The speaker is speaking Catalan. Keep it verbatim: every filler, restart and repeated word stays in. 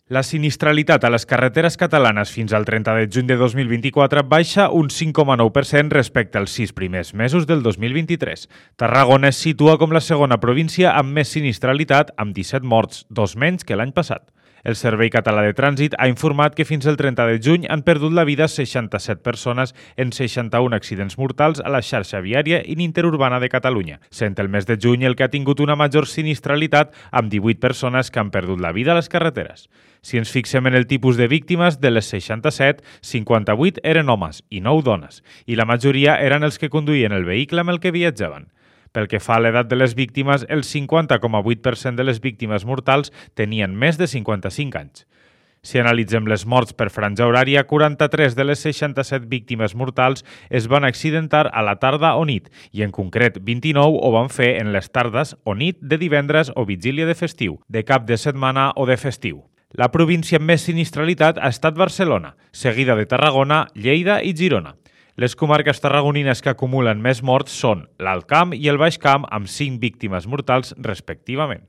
La sinistralitat a les carreteres catalanes fins al trenta de juny de dos mil vint-i-quatre baixa un cinc coma nou per cent respecte als sis primers mesos del dos mil vint-i-tres. Tarragona es situa com la segona província amb més sinistralitat, amb disset morts, dos menys que l'any passat. El Servei Català de Trànsit ha informat que fins al trenta de juny han perdut la vida seixanta-set persones en seixanta-un accidents mortals a la xarxa viària i interurbana de Catalunya, sent el mes de juny el que ha tingut una major sinistralitat amb divuit persones que han perdut la vida a les carreteres. Si ens fixem en el tipus de víctimes, de les seixanta-set, cinquanta-vuit eren homes i nou dones, i la majoria eren els que conduïen el vehicle amb el que viatjaven. Pel que fa a l'edat de les víctimes, el cinquanta coma vuit per cent de les víctimes mortals tenien més de cinquanta-cinc anys. Si analitzem les morts per franja horària, quaranta-tres de les seixanta-set víctimes mortals es van accidentar a la tarda o nit, i en concret vint-i-nou ho van fer en les tardes o nit de divendres o vigília de festiu, de cap de setmana o de festiu. La província amb més sinistralitat ha estat Barcelona, seguida de Tarragona, Lleida i Girona. Les comarques tarragonines que acumulen més morts són l'Alt Camp i el Baix Camp, amb cinc víctimes mortals respectivament.